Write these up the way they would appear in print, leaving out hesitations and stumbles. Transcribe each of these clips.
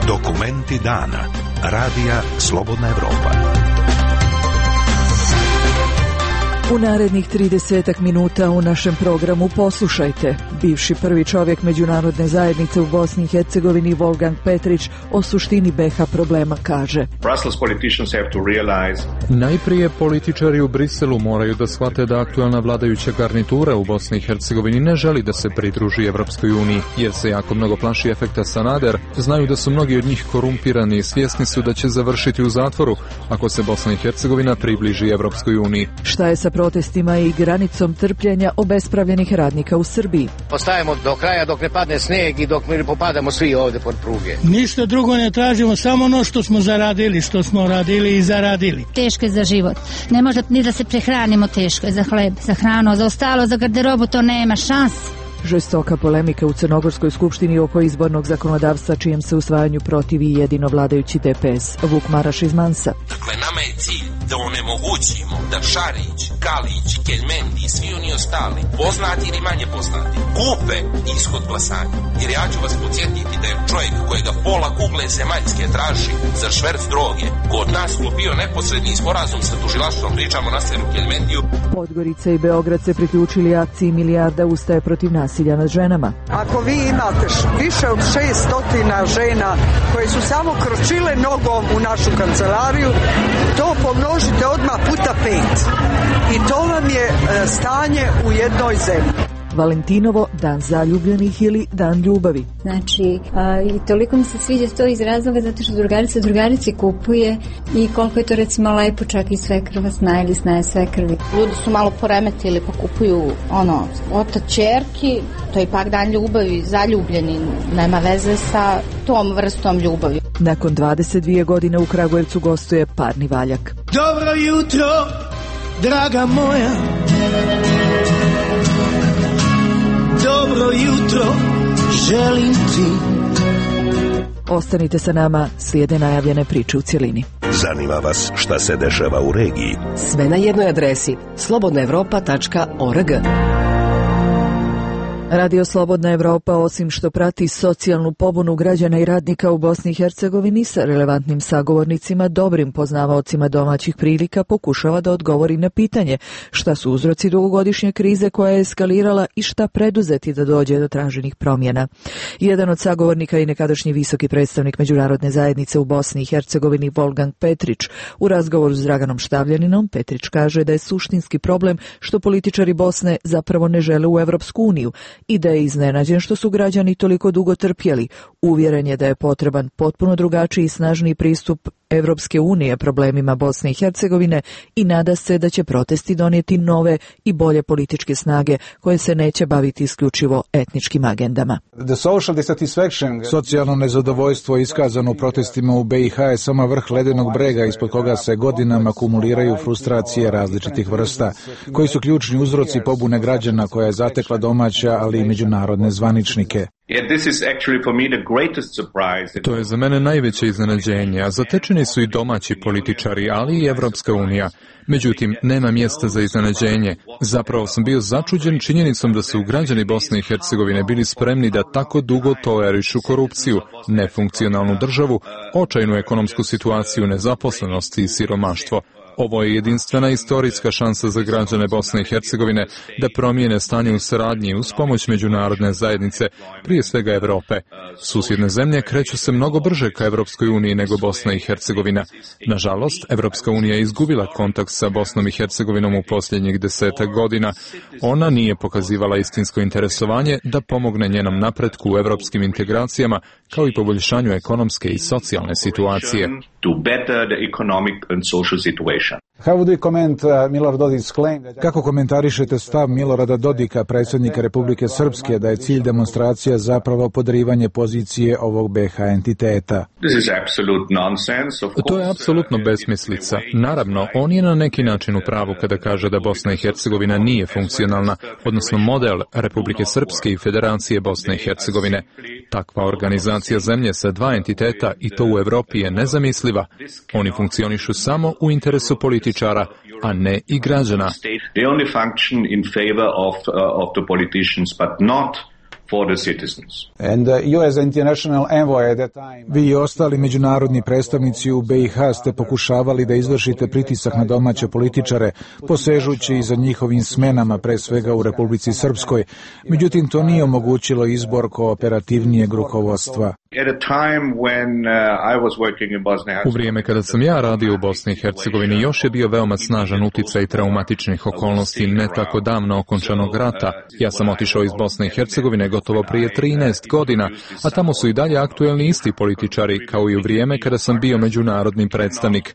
Dokumenti dana. Radija Slobodna Evropa. U narednih 30 minuta u našem programu poslušajte. Bivši prvi čovjek međunarodne zajednice u Bosni i Hercegovini Wolfgang Petrić o suštini BiH problema kaže: Najprije političari u Briselu moraju da shvate da aktualna vladajuća garnitura u Bosni i Hercegovini ne želi da se pridruži Evropskoj uniji, jer se jako mnogo plaši efekta Sanader, znaju da su mnogi od njih korumpirani i svjesni su da će završiti u zatvoru ako se Bosna i Hercegovina približi Evropskoj uniji. Šta je sa protestima i granicom trpljenja obespravljenih radnika u Srbiji? Ostajemo do kraja dok ne padne sneg i dok mi ne popadamo svi ovdje pod pruge. Ništa drugo ne tražimo, samo ono što smo zaradili, što smo radili i zaradili. Teško je za život. Ne može ni da se prehranimo, teško je za hleb, za hranu, za ostalo, za garderobu, to nema šanse. Žestoka polemika u Crnogorskoj skupštini oko izbornog zakonodavstva čijem se usvajanju protivi jedino vladajući DPS. Vuk Maraš iz Mansa. Dakle, nama je cilj da onemogućimo da Šarić, Kalić, Keljmendi i svi oni ostali, poznati ili manje poznati, kupe ishod glasanja. Jer ja ću vas podsjetiti da je čovjek kojega pola kugle zemaljske traži za šverc droge kod nas sklopio neposredni sporazum sa tužilaštvom, pričamo na Seru Keljmendiju. Podgorica i Beograd se priključili akciji Milijarda ustaje protiv nasilja nad ženama. Ako vi imate više od 600 žena koje su samo kročile nogom u našu kancelariju, to pomnožite odmah puta 5. I to vam je stanje u jednoj zemlji. Valentinovo, dan zaljubljenih ili dan ljubavi. Znači, i toliko mi se sviđa to iz razloga zato što drugarici kupuje i koliko je to recimo lepo, čak i svekrva zna ili znaje svekrvi. Ljudi su malo poremetili pa kupuju otac ćerki, to je ipak dan ljubavi, zaljubljeni, nema veze sa tom vrstom ljubavi. Nakon 22 godine u Kragujevcu gostuje parni valjak. Dobro jutro, draga moja. Dobro jutro, želim ti. Ostanite sa nama, slijede najavljene priče u cjelini. Zanima vas šta se dešava u regiji? Sve na jednoj adresi slobodnaevropa.org. Radio Slobodna Evropa, osim što prati socijalnu pobunu građana i radnika u Bosni i Hercegovini sa relevantnim sagovornicima, dobrim poznavaocima domaćih prilika, pokušava da odgovori na pitanje šta su uzroci dugogodišnje krize koja je eskalirala i šta preduzeti da dođe do traženih promjena. Jedan od sagovornika i nekadašnji visoki predstavnik međunarodne zajednice u Bosni i Hercegovini Wolfgang Petrić. U razgovoru s Draganom Štavljaninom Petrić kaže da je suštinski problem što političari Bosne zapravo ne žele u Evropsku uniju i da je iznenađen što su građani toliko dugo trpjeli. Uvjeren je da je potreban potpuno drugačiji i snažniji pristup Evropske unije problemima Bosne i Hercegovine i nada se da će protesti donijeti nove i bolje političke snage koje se neće baviti isključivo etničkim agendama. Socijalno nezadovoljstvo iskazano u protestima u BiH je samo vrh ledenog brega ispod koga se godinama kumuliraju frustracije različitih vrsta, koji su ključni uzroci pobune građana koja je zatekla domaća, ali i međunarodne zvaničnike. To je za mene najveće iznenađenje, a zatečeni su i domaći političari, ali i Evropska unija. Međutim, nema mjesta za iznenađenje. Zapravo sam bio začuđen činjenicom da su građani Bosne i Hercegovine bili spremni da tako dugo tolerišu korupciju, nefunkcionalnu državu, očajnu ekonomsku situaciju, nezaposlenost i siromaštvo. Ovo je jedinstvena istorijska šansa za građane Bosne i Hercegovine da promijene stanje u saradnji uz pomoć međunarodne zajednice, prije svega Evrope. Susjedne zemlje kreću se mnogo brže ka Evropskoj uniji nego Bosna i Hercegovina. Nažalost, Evropska unija je izgubila kontakt sa Bosnom i Hercegovinom u posljednjih 10 godina. Ona nije pokazivala istinsko interesovanje da pomogne njenom napretku u evropskim integracijama, kao i poboljšanju ekonomske i socijalne situacije. Kako komentarišete stav Milorada Dodika, predsjednika Republike Srpske, da je cilj demonstracija zapravo podrivanje pozicije ovog BiH entiteta? To je apsolutno besmislica. Naravno, on je na neki način u pravu kada kaže da Bosna i Hercegovina nije funkcionalna, odnosno model Republike Srpske i Federacije Bosne i Hercegovine. Takva organizacija zemlje sa dva entiteta i to u Evropi je nezamisliva. Oni funkcionišu samo u interesu političara, a ne i građana. Vi i ostali međunarodni predstavnici u BiH ste pokušavali da izvršite pritisak na domaće političare, posežući za njihovim smenama, pre svega u Republici Srpskoj. Međutim, to nije omogućilo izbor kooperativnijeg rukovodstva. U vrijeme kada sam ja radio u Bosni i Hercegovini, još je bio veoma snažan uticaj traumatičnih okolnosti ne tako davno okončanog rata. Ja sam otišao iz Bosne i Hercegovine gotovo prije 13 godina, a tamo su i dalje aktuelni isti političari, kao i u vrijeme kada sam bio međunarodni predstavnik.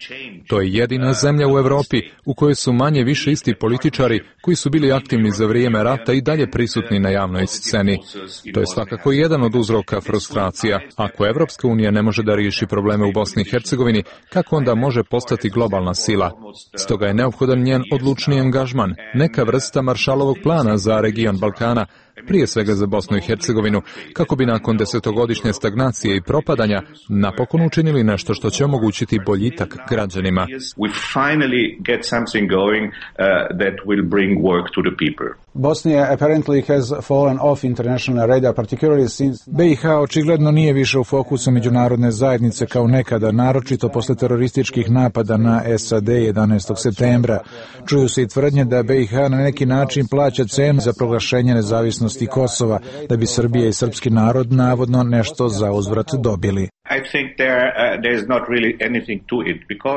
To je jedina zemlja u Europi u kojoj su manje više isti političari koji su bili aktivni za vrijeme rata i dalje prisutni na javnoj sceni. To je svakako jedan od uzroka frustracija. Ako Evropska unija ne može da riješi probleme u Bosni i Hercegovini, kako onda može postati globalna sila? Stoga je neophodan njen odlučni angažman, neka vrsta Maršalovog plana za region Balkana, prije svega za Bosnu i Hercegovinu, kako bi nakon desetogodišnje stagnacije i propadanja napokon učinili nešto što će omogućiti boljitak građanima. BiH očigledno nije više u fokusu međunarodne zajednice kao nekada, naročito posle terorističkih napada na SAD 11. septembra. Čuju se i tvrdnje da BiH na neki način plaća cenu za proglašenje nezavisnosti Kosova, da bi Srbija i srpski narod navodno nešto za uzvrat dobili.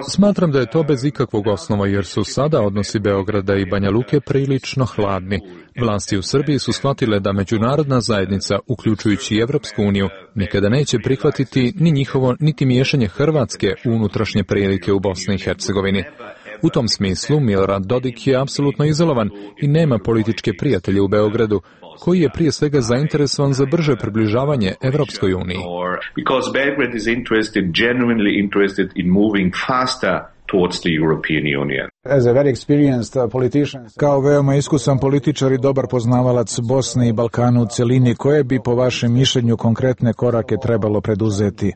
Smatram da je to bez ikakvog osnova, jer su sada odnosi Beograda i Banja Luke prilično hladni. Vlasti u Srbiji su shvatile da međunarodna zajednica, uključujući i Evropsku uniju, nikada neće prihvatiti ni njihovo, niti miješanje Hrvatske u unutrašnje prilike u Bosni i Hercegovini. U tom smislu Milorad Dodik je apsolutno izolovan i nema političke prijatelje u Beogradu, koji je prije svega zainteresovan za brže približavanje Evropskoj uniji. Kao veoma iskusan političar i dobar poznavalac Bosne i Balkana u celini, koje bi po vašem mišljenju konkretne korake trebalo preduzeti?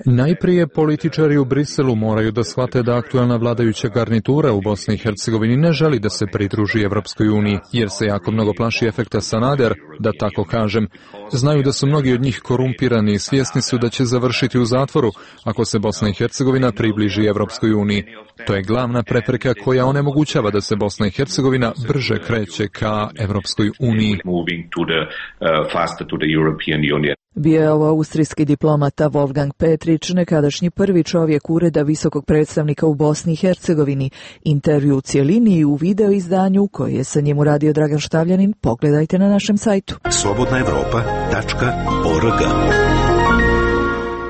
Najprije političari u Briselu moraju da shvate da aktuelna vladajuća garnitura u Bosni i Hercegovini ne želi da se pridruži Evropskoj uniji, jer se jako mnogo plaši efekta Sanader, da tako kažem. Znaju da su mnogi od njih korumpirani i svjesni su da će završiti u zatvoru ako se Bosna i Hercegovina približi Evropskoj uniji. To je glavna prepreka koja onemogućava da se Bosna i Hercegovina brže kreće ka Evropskoj uniji. Bio je ovo austrijski diplomata Wolfgang Petrić, nekadašnji prvi čovjek ureda visokog predstavnika u Bosni i Hercegovini. Intervju u cijelini i u video izdanju koji je sa njim uradio Dragan Štavljanin pogledajte na našem sajtu. slobodnaevropa.org.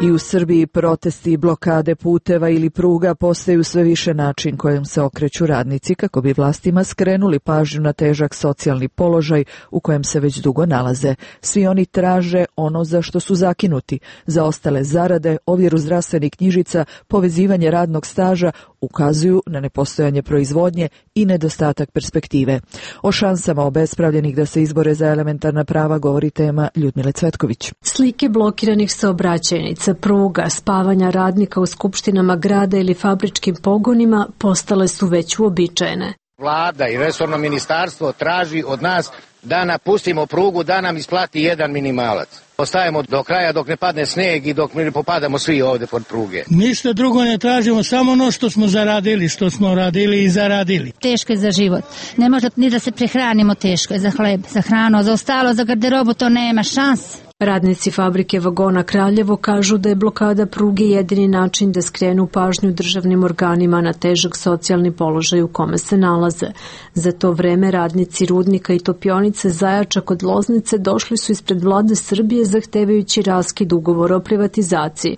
I u Srbiji protesti, blokade puteva ili pruga postaju sve više način kojim se okreću radnici kako bi vlastima skrenuli pažnju na težak socijalni položaj u kojem se već dugo nalaze. Svi oni traže ono za što su zakinuti, zaostale zarade, ovjeru zdravstvenih knjižica, povezivanje radnog staža, ukazuju na nepostojanje proizvodnje i nedostatak perspektive. O šansama obespravljenih da se izbore za elementarna prava govori tema Ljudmile Cvetković. Slike blokiranih saobraćajnica, pruga, spavanja radnika u skupštinama grada ili fabričkim pogonima postale su već uobičajene. Vlada i resorno ministarstvo traži od nas da napustimo prugu, da nam isplati jedan minimalac. Ostajemo do kraja dok ne padne snijeg i dok ne popadamo svi ovdje pod pruge. Ništa drugo ne tražimo, samo ono što smo zaradili, što smo radili i zaradili. Teško je za život. Ne može ni da se prehranimo, teško je za hleb, za hranu, za ostalo, za garderobu to nema šanse. Radnici fabrike vagona Kraljevo kažu da je blokada pruge jedini način da skrenu pažnju državnim organima na težak socijalni položaj u kome se nalaze. Za to vreme radnici rudnika i topionice Zajača kod Loznice došli su ispred vlade Srbije zahtevajući raskid ugovora o privatizaciji.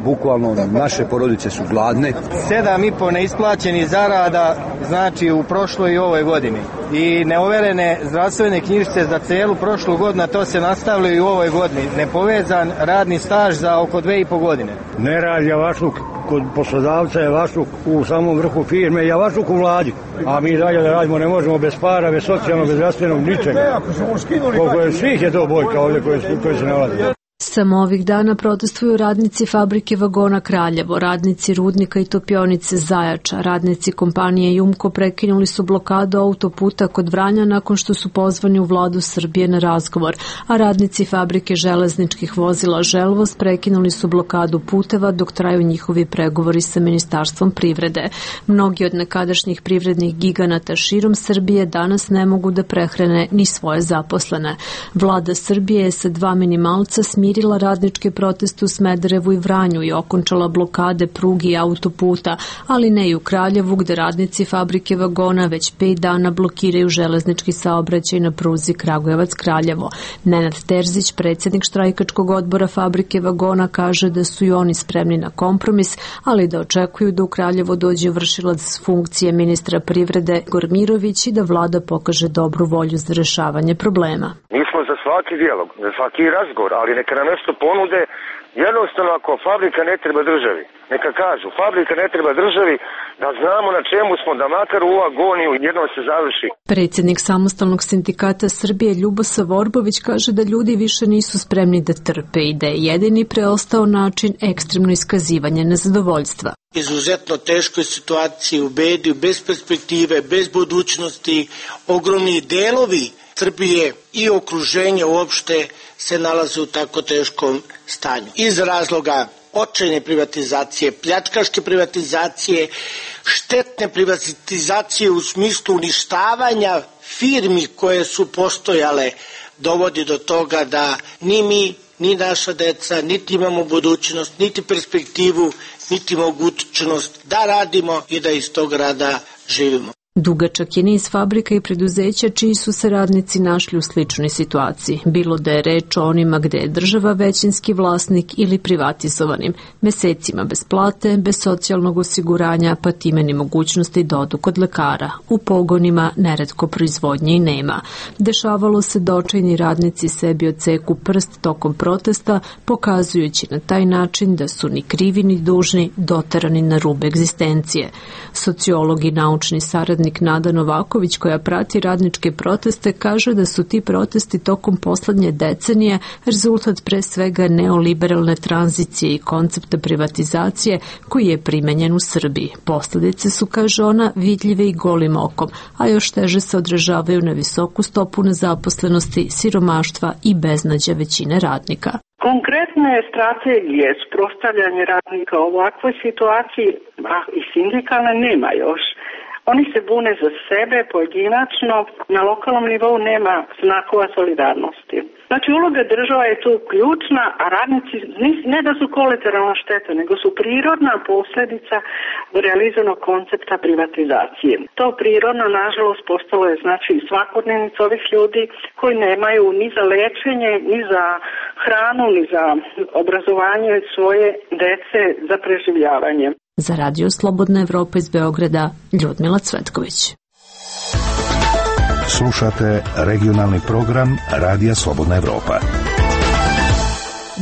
Bukvalno naše porodice su gladne. 7,5 neisplaćenih zarada, znači u prošloj i ovoj godini. I neoverene zdravstvene knjižice za celu prošlu godinu, to se nastavlja i u ovoj godini. Nepovezan radni staž za oko 2,5 godine. Ne radi javašluk kod poslodavca, javašluk u samom vrhu firme, javašluk u vladi. A mi dalje da radimo ne možemo bez para, bez socijalnog, bez zdravstvenog, ničega. Koliko je svih je to bojka ovdje koji se nalazi. Samo ovih dana protestuju radnici fabrike vagona Kraljevo, radnici rudnika i topionice Zajača, radnici kompanije Jumko prekinuli su blokadu autoputa kod Vranja nakon što su pozvani u vladu Srbije na razgovor, a radnici fabrike železničkih vozila Želvoz prekinuli su blokadu puteva dok traju njihovi pregovori sa Ministarstvom privrede. Mnogi od nekadašnjih privrednih giganata širom Srbije danas ne mogu da prehrane ni svoje zaposlene. Vlada Srbije je sa 2 minimalca smirila radničke proteste u Smederevu i Vranju i okončala blokade prugi i autoputa, ali ne i u Kraljevu gde radnici fabrike vagona već 5 dana blokiraju železnički saobraćaj na pruzi Kragujevac-Kraljevo. Nenad Terzić, predsjednik štrajkačkog odbora fabrike vagona, kaže da su i oni spremni na kompromis, ali da očekuju da u Kraljevo dođe vršilac funkcije ministra privrede Gormirović i da vlada pokaže dobru volju za rešavanje problema. Mi smo za svaki dijalog, za svaki razgovor, ali neka nam nešto ponude. Jednostavno, ako fabrika ne treba državi, neka kažu, fabrika ne treba državi, da znamo na čemu smo, da makar u agoniju jednom se završi. Predsjednik Samostalnog sindikata Srbije Ljubosa Vorbović kaže da ljudi više nisu spremni da trpe i da je jedini preostao način ekstremno iskazivanje nezadovoljstva. Izuzetno teškoj situaciji, u bedi, bez perspektive, bez budućnosti, ogromni delovi Srbije i okruženje uopšte se nalaze u tako teškom stanju. Iz razloga očajne privatizacije, pljačkaške privatizacije, štetne privatizacije u smislu uništavanja firmi koje su postojale, dovodi do toga da ni mi, ni naša deca, niti imamo budućnost, niti perspektivu, niti mogućnost da radimo i da iz tog rada živimo. Dugačak je niz fabrika i preduzeća čiji su se radnici našli u sličnoj situaciji, bilo da je reč o onima gde je država većinski vlasnik ili privatizovanim, mesecima bez plate, bez socijalnog osiguranja, pa time ni mogućnosti da odu kod lekara. U pogonima neretko proizvodnje i nema. Dešavalo se da očajni radnici sebi odseku prst tokom protesta, pokazujući na taj način da su ni krivi ni dužni doterani na rub egzistencije. Sociolog i naučni saradnik Nada Novaković, koja prati radničke proteste, kaže da su ti protesti tokom poslednje decenije rezultat pre svega neoliberalne tranzicije i koncepta privatizacije koji je primenjen u Srbiji. Posledice su, kaže ona, vidljive i golim okom, a još teže se odražavaju na visoku stopu nezaposlenosti, siromaštva i beznađa većine radnika. Konkretne strategije sprostavljanja radnika u ovakvoj situaciji, i sindikalne nema još. Oni se bune za sebe pojedinačno, na lokalnom nivou nema znakova solidarnosti. Znači, uloga država je tu ključna, a radnici ne da su kolateralna šteta, nego su prirodna posljedica realizovanog koncepta privatizacije. To prirodno, nažalost, postalo je znači svakodnevnica ovih ljudi koji nemaju ni za lečenje, ni za hranu, ni za obrazovanje svoje dece, za preživljavanje. Za Radio Slobodna Evropa iz Beograda, Ljudmila Cvetković. Slušate regionalni program Radija Slobodna Evropa.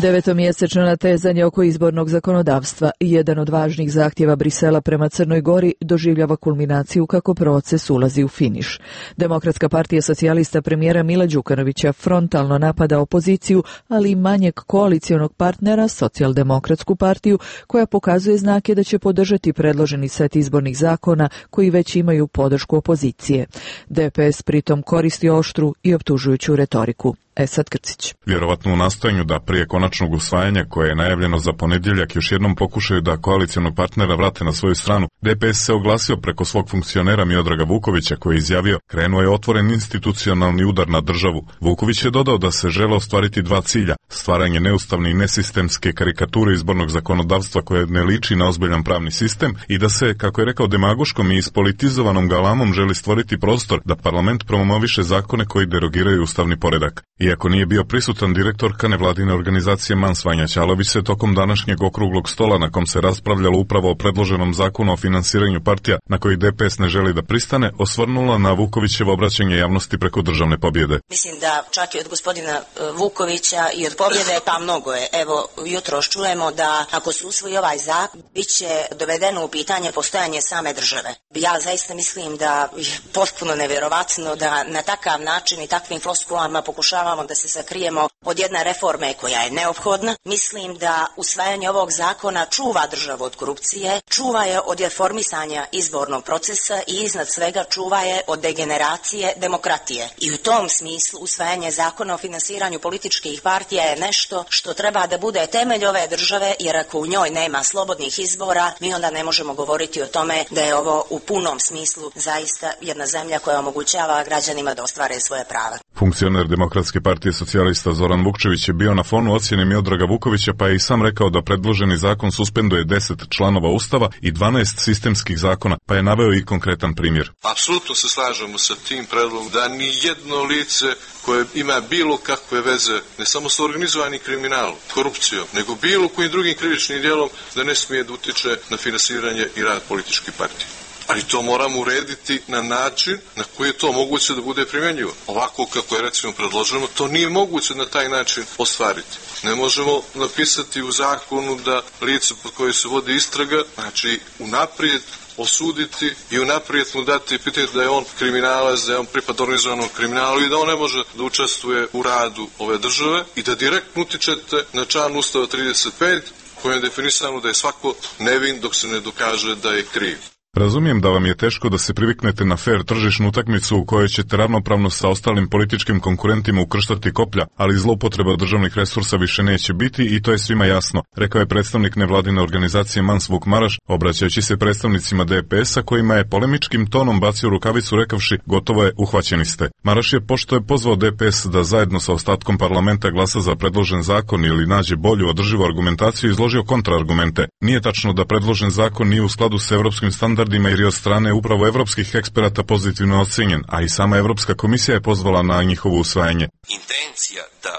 Devetomjesečno natezanje oko izbornog zakonodavstva, jedan od važnih zahtjeva Brisela prema Crnoj Gori, doživljava kulminaciju kako proces ulazi u finiš. Demokratska partija socijalista premijera Mila Đukanovića frontalno napada opoziciju, ali i manjeg koalicionog partnera, Socijaldemokratsku partiju, koja pokazuje znake da će podržati predloženi set izbornih zakona koji već imaju podršku opozicije. DPS pritom koristi oštru i optužujuću retoriku. Esad Krcić. Vjerovatno u nastojanju da prije konačnog usvajanja koje je najavljeno za ponedjeljak još jednom pokušaju da koalicionog partnera vrate na svoju stranu, DPS se oglasio preko svog funkcionera Miodraga Vukovića koji je izjavio krenuo je otvoren institucionalni udar na državu. Vuković je dodao da se žele ostvariti 2 cilja, stvaranje neustavne i nesistemske karikature izbornog zakonodavstva koje ne liči na ozbiljan pravni sistem i da se, kako je rekao, demagoškom i ispolitizovanom galamom želi stvoriti prostor da parlament promoviše zakone koji derogiraju ustavni poredak. Iako nije bio prisutan, direktorka nevladine organizacije Mans Vanja Ćalović se tokom današnjeg okruglog stola na kom se raspravljalo upravo o predloženom zakonu o finansiranju partija na koji DPS ne želi da pristane, osvrnula na Vukovićevo obraćanje javnosti preko državne pobjede. Mislim da čak i od gospodina Vukovića i od pobjede pa mnogo je. Evo, jutros čujemo da ako se usvoji ovaj zakon, bit će dovedeno u pitanje postojanje same države. Ja zaista mislim da je potpuno nevjerovatno da na takav način i takvim floskulama pokušavamo pokušavamo da se sakrijemo od jedne reforme koja je neophodna. Mislim da usvajanje ovog zakona čuva državu od korupcije, čuva je od reformisanja izbornog procesa i iznad svega čuva je od degeneracije demokratije. I u tom smislu usvajanje zakona o finansiranju političkih partija je nešto što treba da bude temelj ove države, jer ako u njoj nema slobodnih izbora, mi onda ne možemo govoriti o tome da je ovo u punom smislu zaista jedna zemlja koja omogućava građanima da ostvare svoje prava. Funkcioner Demokratske partije socijalista Zoran Vukčević je bio na fonu ocjene Miodraga Vukovića, pa je i sam rekao da predloženi zakon suspenduje 10 članova Ustava i 12 sistemskih zakona, pa je naveo i konkretan primjer. Apsolutno se slažemo sa tim predlogom da ni jedno lice koje ima bilo kakve veze ne samo sa organizovanim kriminalom, korupcijom, nego bilo kojim drugim krivičnim djelom da ne smije da utiče na finansiranje i rad političkih partija. Ali to moramo urediti na način na koji je to moguće da bude primjenjivo. Ovako kako je recimo predloženo, to nije moguće na taj način ostvariti. Ne možemo napisati u zakonu da lice pod koje se vodi istraga, znači unaprijed osuditi i unaprijed mu dati pitanje da je on kriminalac, da je on pripad organizovanog kriminalu i da on ne može da učestvuje u radu ove države i da direktno utičete na član Ustava 35 kojem je definisano da je svako nevin dok se ne dokaže da je kriv. Razumijem da vam je teško da se priviknete na fair tržišnu utakmicu u kojoj ćete ravnopravno sa ostalim političkim konkurentima ukrštati koplja, ali zloupotreba državnih resursa više neće biti i to je svima jasno, rekao je predstavnik nevladine organizacije Mans Vuk Maraš, obraćajući se predstavnicima DPS-a kojima je polemičkim tonom bacio rukavicu rekavši gotovo je, uhvaćeni ste. Maraš je, pošto je pozvao DPS da zajedno sa ostatkom parlamenta glasa za predložen zakon ili nađe bolju održivu argumentaciju, izložio kontraargumente. Nije tačno da predložen zakon nije u skladu s evropskim standardima jer je od strane upravo evropskih eksperata pozitivno ocenjen, a i sama Evropska komisija je pozvala na njihovo usvajanje. Intencija da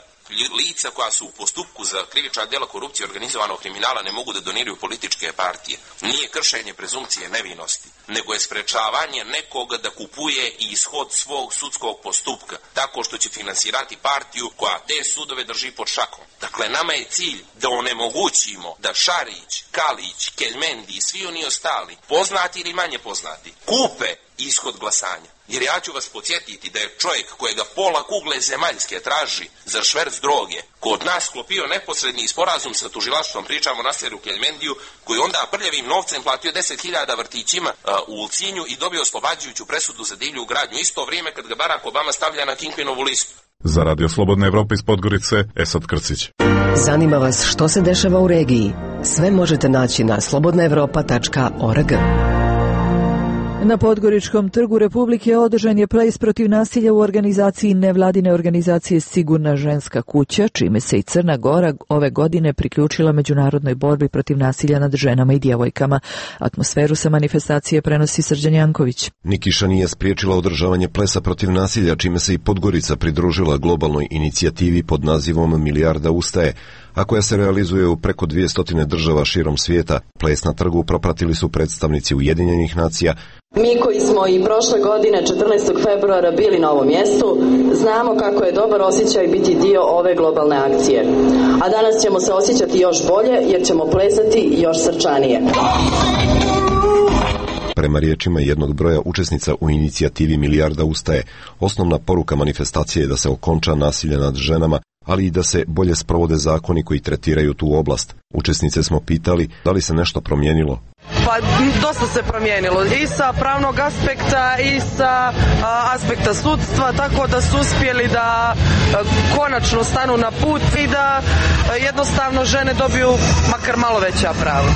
lica koja su u postupku za krivična djela korupcije i organizovanog kriminala ne mogu da doniraju političke partije nije kršenje prezumcije nevinosti, nego je sprečavanje nekoga da kupuje ishod svog sudskog postupka tako što će finansirati partiju koja te sudove drži pod šakom. Dakle, nama je cilj da onemogućimo da Šarić, Kalić, Keljmendi i svi oni ostali, poznati ili manje poznati, kupe ishod glasanja. Jer ja ću vas podsjetiti da je čovjek kojega pola kugle zemaljske traži za šverc droge kod nas sklopio neposredni sporazum sa tužilaštvom, pričamo o Nasleru Keljmendiju, koji onda prljavim novcem platio 10.000 vrtićima u Ulcinju i dobio oslobađajuću presudu za divlju gradnju, isto vrijeme kad ga Barack Obama stavlja na Kingpinovu listu. Za Radio Slobodne Evrope iz Podgorice, Esad Krcić. Zanima vas što se dešava u regiji? Sve možete naći na slobodnaevropa.org. Na Podgoričkom trgu Republike održan je ples protiv nasilja u organizaciji nevladine organizacije Sigurna ženska kuća, čime se i Crna Gora ove godine priključila međunarodnoj borbi protiv nasilja nad ženama i djevojkama. Atmosferu sa manifestacije prenosi Srđan Janković. Nikiša nije spriječila održavanje plesa protiv nasilja, čime se i Podgorica pridružila globalnoj inicijativi pod nazivom Milijarda ustaje, a koja se realizuje u preko 200 država širom svijeta. Ples na trgu propratili su predstavnici Ujedinjenih nacija. Mi koji smo i prošle godine 14. februara bili na ovom mjestu, znamo kako je dobar osjećaj biti dio ove globalne akcije. A danas ćemo se osjećati još bolje jer ćemo plesati još srčanije. Prema riječima jednog broja učesnica u inicijativi Milijarda ustaje, osnovna poruka manifestacije je da se okonča nasilje nad ženama, ali i da se bolje sprovode zakoni koji tretiraju tu oblast. Učesnice smo pitali da li se nešto promijenilo. Pa dosta se promijenilo i sa pravnog aspekta i sa aspekta sudstva, tako da su uspjeli da konačno stanu na put i da jednostavno žene dobiju makar malo veća prava.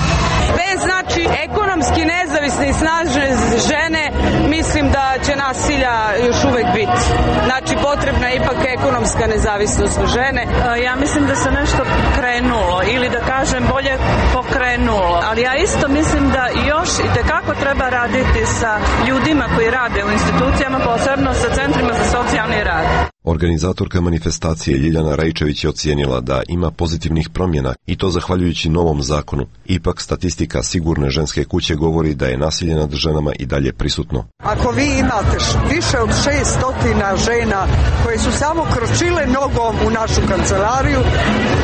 Bez znači ekonomski nezavisne i snažne žene, mislim da će nasilja još uvek biti. Znači potrebna je ipak ekonomska nezavisnost žene. Ja mislim da se nešto krenulo ili da kažem bolje pokrenulo, ali ja isto mislim da još i tekako treba raditi sa ljudima koji rade u institucijama, posebno sa centrima za socijalni rad. Organizatorka manifestacije Ljiljana Rajčević je ocijenila da ima pozitivnih promjena i to zahvaljujući novom zakonu. Ipak statistika Sigurne ženske kuće govori da je nasilje nad ženama i dalje prisutno. Ako vi imate više od 600 žena koje su samo kročile nogom u našu kancelariju,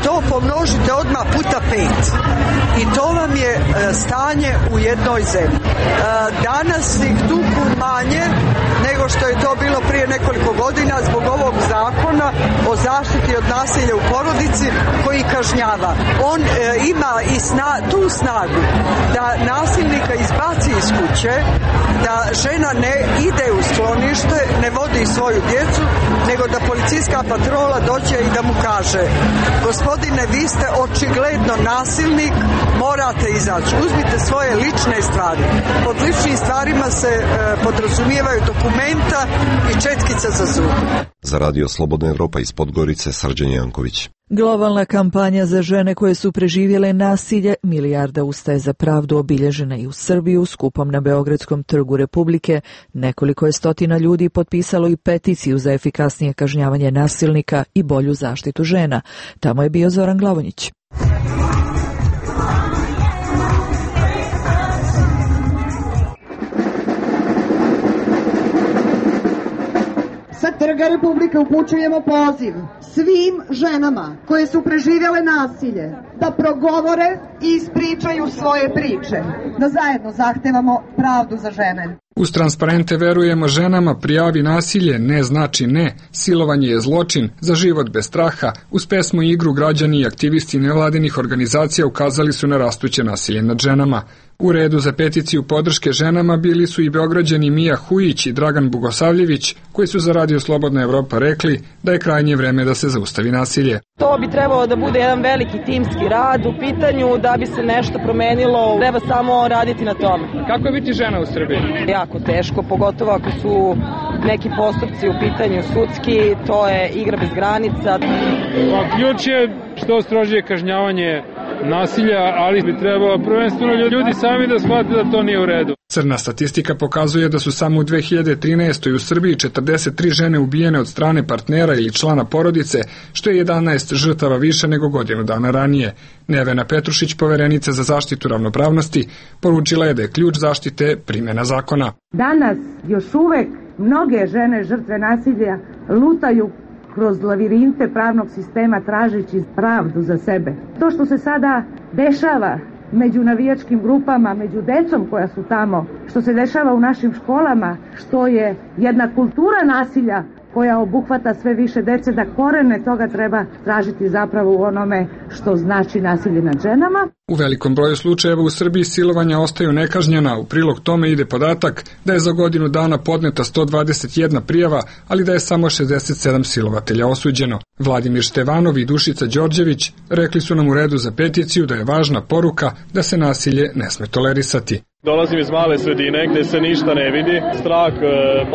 to pomnožite odmah puta 5. I to vam je stanje u jednoj zemlji. Danas ih tuku manje nego što je to bilo prije nekoliko godina zbog ovog zakona o zaštiti od nasilja u porodici koji kažnjava. On ima i tu snagu da nasilnika izbaci iz kuće, da žena ne ide u sklonište, ne vodi svoju djecu, nego da policijska patrola dođe i da mu kaže: gospodine, vi ste očigledno nasilnik, morate izaći. Uzmite svoje lične stvari. Pod ličnim stvarima se podrazumijevaju dokumenta i četkica za zub. Za Radio Slobodna Evropa iz Podgorice, Srđan Janković. Globalna kampanja za žene koje su preživjele nasilje Milijarda ustaje za pravdu obilježena i u Srbiju skupom na Beogradskom trgu Republike. Nekoliko je stotina ljudi potpisalo i peticiju za efikasnije kažnjavanje nasilnika i bolju zaštitu žena. Tamo je bio Zoran Glavonjić. Sa Trga Republike upućujemo poziv svim ženama koje su preživjele nasilje da progovore i ispričaju svoje priče, da zajedno zahtevamo pravdu za žene. Uz transparente verujemo ženama, prijavi nasilje, ne znači ne, silovanje je zločin, za život bez straha. Uz pesmu i igru građani i aktivisti nevladinih organizacija ukazali su na rastuće nasilje nad ženama. U redu za peticiju podrške ženama bili su i Beograđani Mija Hujić i Dragan Bugosavljević, koji su za Radio Slobodna Evropa rekli da je krajnje vreme da se zaustavi nasilje. To bi trebalo da bude jedan veliki timski rad u pitanju da bi se nešto promenilo, treba samo raditi na tome. Kako je biti žena u Srbiji? Jako teško, pogotovo ako su neki postupci u pitanju sudski, to je igra bez granica. Ključ je što strožije kažnjavanje nasilja, ali bi trebalo prvenstveno ljudi sami da shvate da to nije u redu. Crna statistika pokazuje da su samo u 2013. u Srbiji 43 žene ubijene od strane partnera ili člana porodice, što je 11 žrtava više nego godinu dana ranije. Nevena Petrušić, poverenica za zaštitu ravnopravnosti, poručila je da je ključ zaštite primjena zakona. Danas još uvek mnoge žene žrtve nasilja lutaju kroz lavirinte pravnog sistema tražeći pravdu za sebe. To što se sada dešava među navijačkim grupama, među decom koja su tamo, što se dešava u našim školama, što je jedna kultura nasilja koja obuhvata sve više dece, da korene toga treba tražiti zapravo u onome što znači nasilje nad ženama. U velikom broju slučajeva u Srbiji silovanja ostaju nekažnjena. U prilog tome ide podatak da je za godinu dana podneta 121 prijava, ali da je samo 67 silovatelja osuđeno. Vladimir Števanov i Dušica Đorđević rekli su nam u redu za peticiju da je važna poruka da se nasilje ne sme tolerisati. Dolazim iz male sredine gde se ništa ne vidi. Strah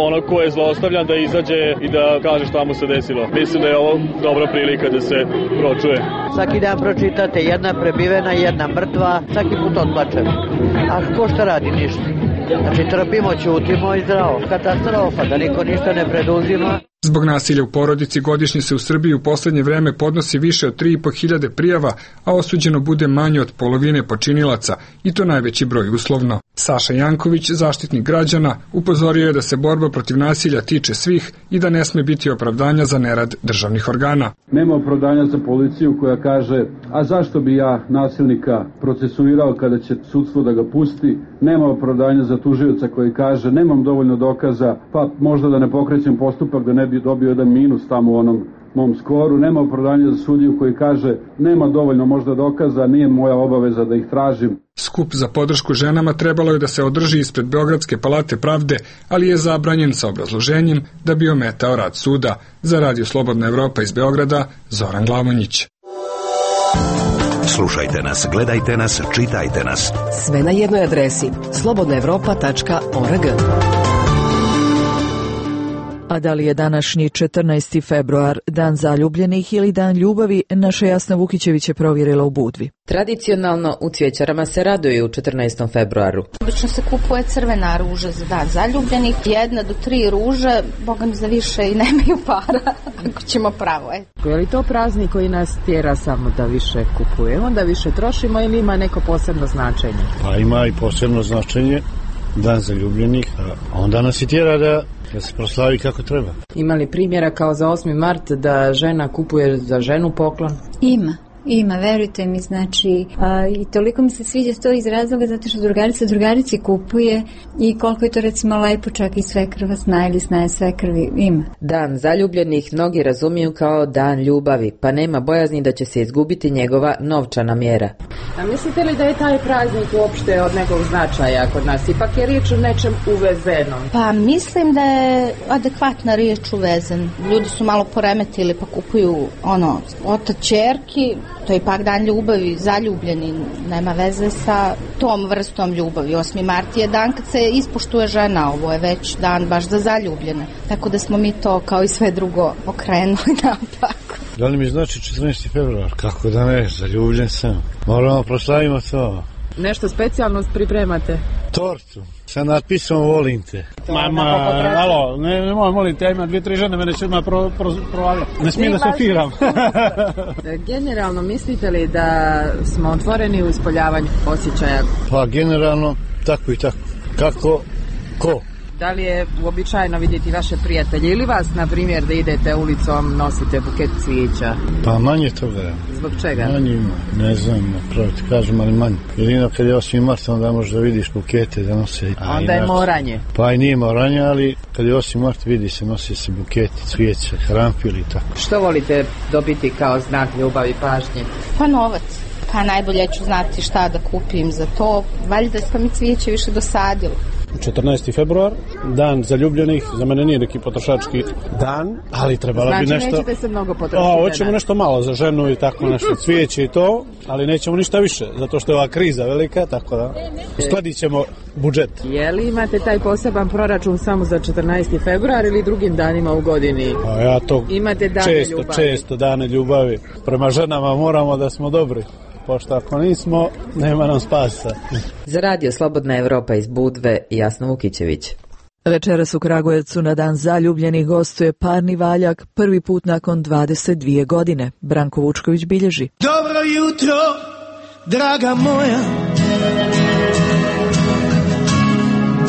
onog ko je zlostavljan da izađe i da kaže šta mu se desilo. Mislim da je ovo dobra prilika da se pročuje. Svaki dan pročitate jedna prebivena, jedna mrtva, svaki put odplačem. A ko šta radi? Ništa. Znači trpimo, ćutimo i zdravo. Katastrofa, da niko ništa ne preduzima. Zbog nasilja u porodici godišnje se u Srbiji u poslednje vreme podnosi više od 3.500 prijava, a osuđeno bude manje od polovine počinilaca, i to najveći broj uslovno. Saša Janković, zaštitnik građana, upozorio je da se borba protiv nasilja tiče svih i da ne sme biti opravdanja za nerad državnih organa. Nema opravdanja za policiju koja kaže: a zašto bi ja nasilnika procesuirao kada će sudstvo da ga pusti? Nema opravdanja za tužioca koji kaže: nemam dovoljno dokaza, pa možda da ne pokrećem postupak da ne bi dobio jedan minus tamo u onom mom skoru. Nema opravdanja za sudiju koji kaže: nema dovoljno možda dokaza, nije moja obaveza da ih tražim. Skup za podršku ženama trebalo je da se održi ispred Beogradske palate pravde, ali je zabranjen sa obrazloženjem da bi ometao rad suda. Za Radio Slobodna Evropa iz Beograda, Zoran Glavonjić. Slušajte nas, gledajte nas, čitajte nas. Sve na jednoj adresi slobodnaevropa.org. A da li je današnji 14. februar dan zaljubljenih ili dan ljubavi, naša Jasna Vukićević je provjerila u Budvi. Tradicionalno u cvjećarama se raduju u 14. februaru. Obično se kupuje crvena ruža za dan zaljubljenih, 1 do 3 ruže, boga mi za više i nemaju para, ako ćemo pravo. Je li to praznik koji nas tjera samo da više kupujemo, da više trošimo, ili ima neko posebno značenje? Pa ima i posebno značenje, dan zaljubljenih, a onda nas i tjera da se proslavi kako treba. Ima li primjera kao za 8. mart da žena kupuje za ženu poklon? Ima. Ima, verujte mi, znači, i toliko mi se sviđa to iz razloga zato što drugarici kupuje i koliko je to recimo lepo, čak i svekrva zna ili znaje svekrvi, ima. Dan zaljubljenih mnogi razumiju kao dan ljubavi, pa nema bojazni da će se izgubiti njegova novčana mjera. A mislite li da je taj praznik uopšte od nekog značaja kod nas? Ipak je riječ o nečem uvezenom. Pa mislim da je adekvatna riječ uvezen. Ljudi su malo poremetili pa kupuju otac ćerki, to je ipak dan ljubavi, zaljubljeni, nema veze sa tom vrstom ljubavi. 8. mart je dan kad se ispoštuje žena, ovo je već dan baš za zaljubljene. Tako da smo mi to kao i sve drugo okrenuli napak. Da li mi znači 14. februar? Kako da ne, zaljubljen sam. Moramo proslavimo to. Nešto specijalno pripremate? Tortu. Sa natpisom volim te. Mama, alo, nemoj molim te, ja imam 2-3 žene, mene će odmah provaliti. Ne smijem da se firam. Generalno, mislite li da smo otvoreni u ispoljavanju osjećaja? Pa generalno, tako i tako. Kako? Ko? Da li je uobičajeno vidjeti vaše prijatelje ili vas, na primjer, da idete ulicom, nosite buket cvijeća? Pa manje toga. Zbog čega? Manje ima, ne znam, napravo ti kažem, ali manje. Jedino kad je 8. mart, onda možeš da vidiš bukete da nose. Onda je moranje. Pa i nije moranje, ali kad je 8. mart vidi se, nosi se buketi, cvijeća, hrampili i tako. Što volite dobiti kao znak ljubavi, pažnje? Pa novac. Pa najbolje ću znati šta da kupim za to. Valjda smo mi cvijeće više dosadilo. 14. februar, dan zaljubljenih, za mene nije neki potrošački dan, ali trebalo bi nešto... Znači nećete se mnogo potrošiti? Hoćemo nešto malo za ženu i tako nešto, cvijeće i to, ali nećemo ništa više, zato što je ova kriza velika, tako da uskladit ćemo budžet. Je li imate taj poseban proračun samo za 14. februar ili drugim danima u godini? Pa ja to imate često dane ljubavi. Prema ženama moramo da smo dobri. Pošto ako nismo, nema nam spasa. Za radio Slobodna Evropa iz Budve, Jasna Vukićević. Večeras u Kragujevcu na dan zaljubljenih gostuje parni valjak, prvi put nakon 22 godine. Branko Vučković bilježi. Dobro jutro, draga moja.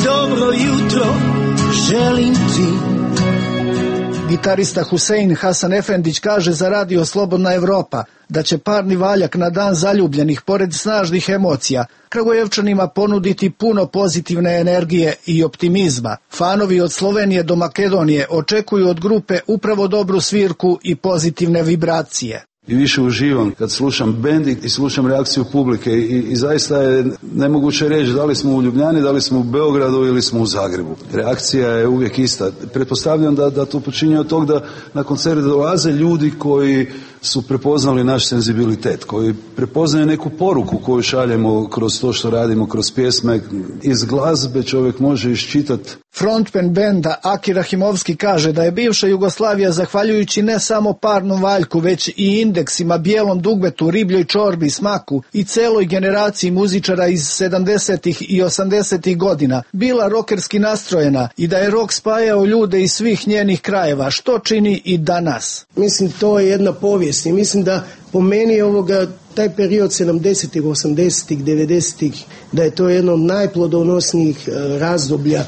Dobro jutro, želim ti. Gitarista Husein Hasan Efendić kaže za radio Slobodna Evropa da će parni valjak na dan zaljubljenih, pored snažnih emocija, Kragujevčanima ponuditi puno pozitivne energije i optimizma. Fanovi od Slovenije do Makedonije očekuju od grupe upravo dobru svirku i pozitivne vibracije. I više uživam kad slušam bend i slušam reakciju publike i zaista je nemoguće reći da li smo u Ljubljani, da li smo u Beogradu ili smo u Zagrebu. Reakcija je uvijek ista. Pretpostavljam da to počinje od tog da na koncert dolaze ljudi koji su prepoznali naš senzibilitet, koji prepoznaju neku poruku koju šaljemo kroz to što radimo, kroz pjesme. Iz glazbe čovjek može iščitati. Frontman benda Aki Rahimovski kaže da je bivša Jugoslavija, zahvaljujući ne samo parnom valjku, već i indeksima, bijelom dugmetu, ribljoj čorbi, smaku i celoj generaciji muzičara iz 70. i 80. godina, bila rokerski nastrojena i da je rok spajao ljude iz svih njenih krajeva, što čini i danas. Mislim, to je jedna povijest i mislim da po meni taj period 70-ih, 80-ih, 90-ih, da je to jedno od najplodonosnijih razdoblja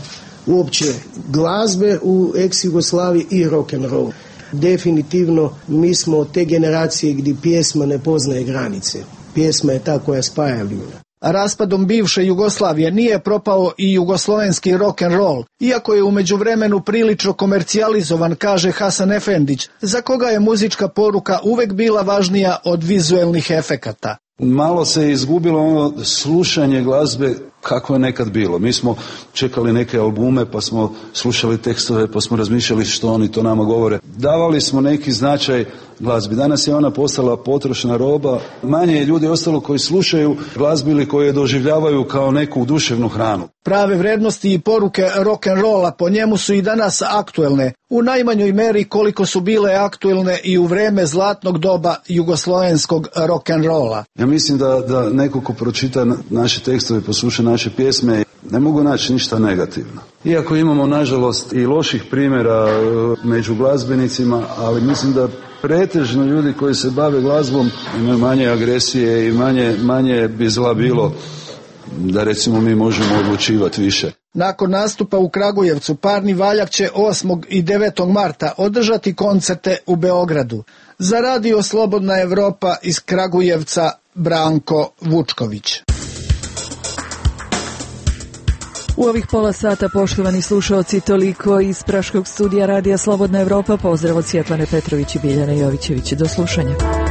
uopće glazbe u ex-Jugoslaviji i rock'n'roll. Definitivno mi smo od te generacije gdje pjesma ne poznaje granice. Pjesma je ta koja spaja ljude. A raspadom bivše Jugoslavije nije propao i jugoslovenski rock'n'roll, iako je u međuvremenu prilično komercijalizovan, kaže Hasan Efendić, za koga je muzička poruka uvek bila važnija od vizuelnih efekata. Malo se izgubilo slušanje glazbe kako je nekad bilo. Mi smo čekali neke albume, pa smo slušali tekstove, pa smo razmišljali što oni to nama govore. Davali smo neki značaj glazbi. Danas je ona postala potrošna roba. Manje je ljudi ostalo koji slušaju glazbu ili koji je doživljavaju kao neku duševnu hranu. Prave vrednosti i poruke rock'n'rolla po njemu su i danas aktuelne, u najmanjoj meri koliko su bile aktuelne i u vreme zlatnog doba jugoslovenskog rock'n'rolla. Ja mislim da neko ko pročita naše tekstove, posluša naše pjesme, ne mogu naći ništa negativno. Iako imamo, nažalost, i loših primjera među glazbenicima, ali mislim da pretežno ljudi koji se bave glazbom imaju manje agresije i manje bi zla bilo da recimo mi možemo odlučivati više. Nakon nastupa u Kragujevcu, parni valjak će 8. i 9. marta održati koncerte u Beogradu. Za Radio Slobodna Evropa iz Kragujevca Branko Vučković. U ovih pola sata, poštovani slušaoci, toliko iz praškog studija Radija Slobodna Evropa. Pozdrav od Sjetlane Petrović i Biljane Jovićević. Do slušanja.